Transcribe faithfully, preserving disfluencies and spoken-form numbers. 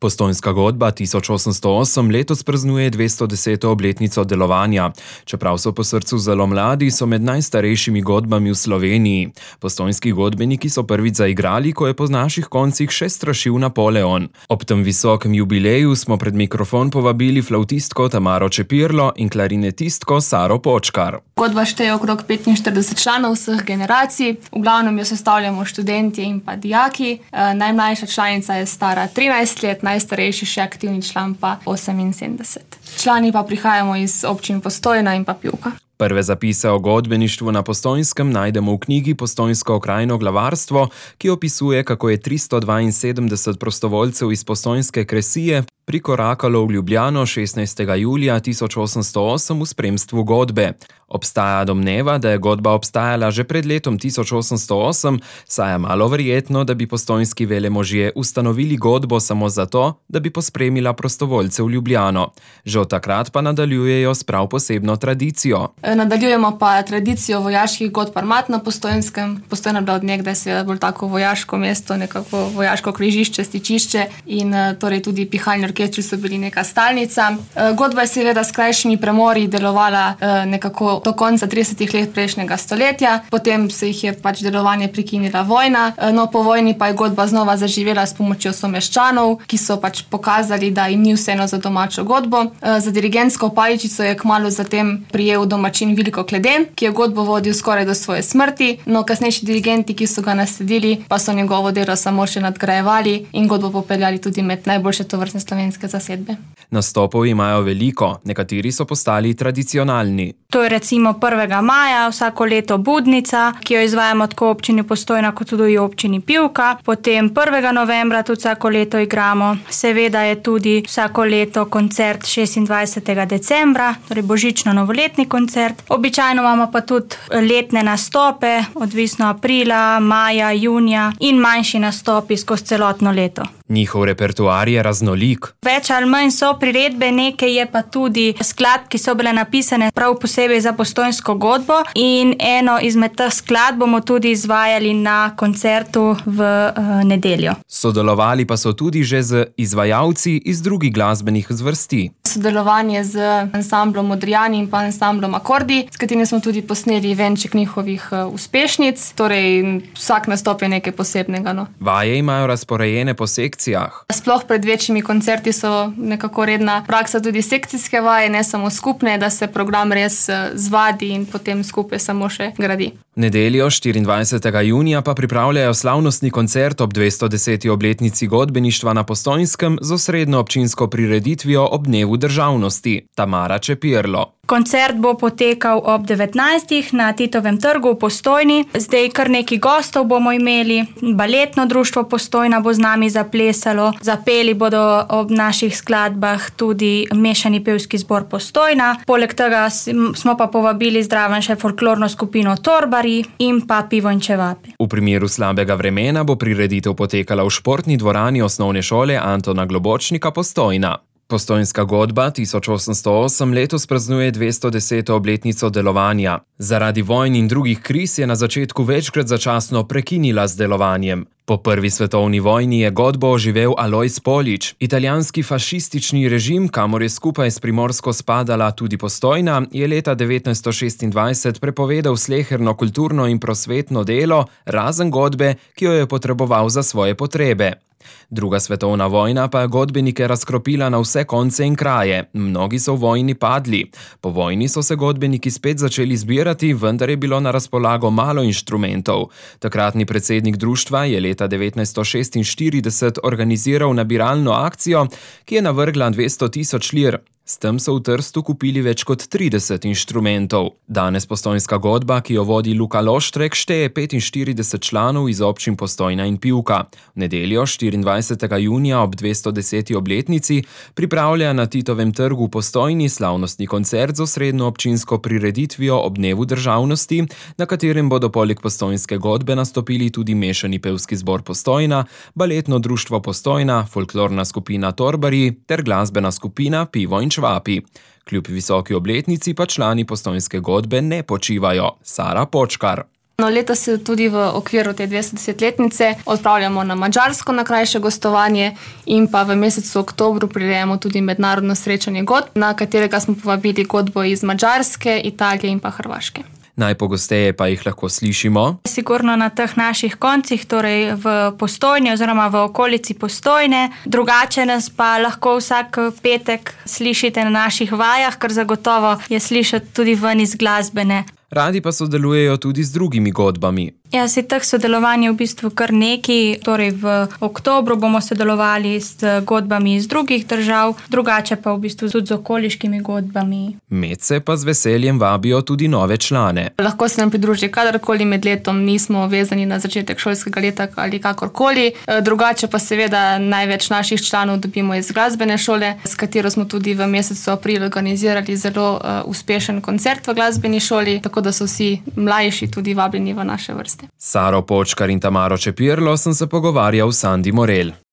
Postojnska godba tisoč osemsto osem letos praznuje dvesto deseto obletnico delovanja. Čeprav so po srcu zelo mladi, so med najstarejšimi godbami v Sloveniji. Postojnski godbeniki so prvič zaigrali, ko je po naših koncih še strašil Napoleon. Ob tem visokem jubileju smo pred mikrofon povabili flavtistko Tamaro Čepirlo in klarinetistko Saro Počkar. Godba šteje okrog petinštirideset članov vseh generacij, v glavnem jo sestavljamo študentje in pa dijaki. E, najmlajša članica je stara trinajst let, najstarejši še aktivni član pa oseminsedemdeset. Člani pa prihajamo iz občin Postojna in pa Pivka. Prve zapise o godbeništvu na Postojnskem najdemo v knjigi Postojnsko okrajno glavarstvo, ki opisuje, kako je tristo dvainsedemdeset prostovoljcev iz postojnske kresije prikorakalo v Ljubljano šestnajstega julija tisoč osemsto osem v spremstvu godbe. Obstaja domneva, da je godba obstajala že pred letom tisoč osemsto osem, saj je malo verjetno, da bi postojnski velemožje ustanovili godbo samo zato, da bi pospremila prostovoljce v Ljubljano. Že od takrat pa nadaljujejo s prav posebno tradicijo. Nadaljujemo pa tradicijo vojaških godb armat na Postojnskem. Postojna je bila od nekdaj seveda bolj tako vojaško mesto, nekako vojaško križišče, stičišče in torej tudi pihalni orkestri so bili neka stalnica. Godba je seveda s krajšimi premori delovala nekako do konca tridesetih let prejšnjega stoletja, potem se jih je pač delovanje prekinila vojna, no po vojni pa je godba znova zaživela s pomočjo someščanov, ki so pač pokazali, da jim ni vseeno za domačo godbo. Za dirigentsko paličico je kmalu zatem prijel domačin Vilko Kleden, ki je godbo vodil skoraj do svoje smrti, no kasnejši dirigenti, ki so ga nasledili, pa so njegovo delo samo še nadgrajevali in godbo popeljali tudi med najboljše tovrstne slovenske zasedbe. Nastopov imajo veliko, nekateri so postali tradicionalni. To je recimo prvega maja, vsako leto Budnica, ki jo izvajamo tako v občini Postojna kot tudi v občini Pivka. Potem prvega novembra tudi vsako leto igramo. Seveda je tudi vsako leto koncert šestindvajsetega decembra, torej božično-novoletni koncert. Običajno imamo pa tudi letne nastope, odvisno aprila, maja, junija in manjši nastopi skozi celotno leto. Njihov repertoar je raznolik. Več ali manj so priredbe, nekaj je pa tudi skladb, ki so bile napisane prav posebej za postojnsko godbo in eno izmed teh skladb bomo tudi izvajali na koncertu v uh, nedeljo. Sodelovali pa so tudi že z izvajalci iz drugih glasbenih zvrsti. Sodelovanje z ansamblom Modrijani in pa ansamblom Akordi, s katerimi smo tudi posneli venček njihovih uh, uspešnic, torej vsak nastop je nekaj posebnega. No. Vaje imajo razporejene po sekcijah. Sploh pred večjimi koncerti so nekako redna praksa tudi sekcijske vaje, ne samo skupne, da se program res zvadi in potem skupaj samo še gradi. V nedeljo štiriindvajsetega junija pa pripravljajo slavnostni koncert ob dvesto deseti obletnici godbeništva na Postojnskem z osrednjo občinsko prireditvijo ob dnevu državnosti. Tamara Čepirlo. Koncert bo potekal ob devetnajstih na Titovem trgu v Postojni. Zdaj kar nekaj gostov bomo imeli. Baletno društvo Postojna bo z nami zaplesalo. Zapeli bodo ob naših skladbah tudi mešani pevski zbor Postojna. Poleg tega smo pa povabili zraven še folklorno skupino Torbari in pa Pivo in čevapi. V primeru slabega vremena bo prireditev potekala v športni dvorani osnovne šole Antona Globočnika Postojna. Postojnska godba tisoč osemsto osem letos praznuje dvesto deseto obletnico delovanja. Zaradi vojn in drugih kriz je na začetku večkrat začasno prekinila z delovanjem. Po prvi svetovni vojni je godbo oživel Alojz Polič. Italijanski fašistični režim, kamor je skupaj s Primorsko spadala tudi Postojna, je leta devetnajststo šestindvajset prepovedal sleherno kulturno in prosvetno delo, razen godbe, ki jo je potreboval za svoje potrebe. Druga svetovna vojna pa je godbenike razkropila na vse konce in kraje. Mnogi so v vojni padli. Po vojni so se godbeniki spet začeli zbirati, vendar je bilo na razpolago malo inštrumentov. Takratni predsednik društva je leta devetnajststo šestinštirideset organiziral nabiralno akcijo, ki je navrgla dvesto tisoč lir. S tem so v Trstu kupili več kot trideset inštrumentov. Danes postojnska godba, ki jo vodi Luka Loštrek, šteje petinštirideset članov iz občin Postojna in Pivka. V nedeljo štiriindvajsetega junija ob dvesto deseti obletnici pripravlja na Titovem trgu v Postojni slavnostni koncert z osrednjo občinsko prireditvijo ob dnevu državnosti, na katerem bodo poleg postojnske godbe nastopili tudi mešani pevski zbor Postojna, baletno društvo Postojna, folklorna skupina Torbari ter glasbena skupina Pivo in čevapi. Kljub visoki obletnici pa člani postojnske godbe ne počivajo. Sara Počkar. No, letos se tudi v okviru te dvestodesetletnice odpravljamo na Madžarsko na krajše gostovanje in pa v mesecu oktobru prirejamo tudi mednarodno srečanje godb, na katerega smo povabili godbo iz Madžarske, Italije in pa Hrvaške. Najpogosteje pa jih lahko slišimo sigurno na teh naših koncih, torej v Postojni oziroma v okolici Postojne. Drugače nas pa lahko vsak petek slišite na naših vajah, ker zagotovo je slišati tudi ven iz glasbene. Radi pa sodelujejo tudi z drugimi godbami. Ja, si teh sodelovanj je v bistvu kar nekaj, torej v oktobru bomo sodelovali s godbami iz drugih držav, drugače pa v bistvu tudi z okoliškimi godbami. Medse pa z veseljem vabijo tudi nove člane. Lahko se nam pridruži kadarkoli med letom, nismo vezani na začetek šolskega leta ali kakorkoli. Drugače pa seveda največ naših članov dobimo iz glasbene šole, s katero smo tudi v mesecu april organizirali zelo uh, uspešen koncert v glasbeni šoli, tako da so vsi mlajši tudi vabljeni v naše vrste. Saro Počkar in Tamaro Čepirlo sem se pogovarjal s Sandi Morel.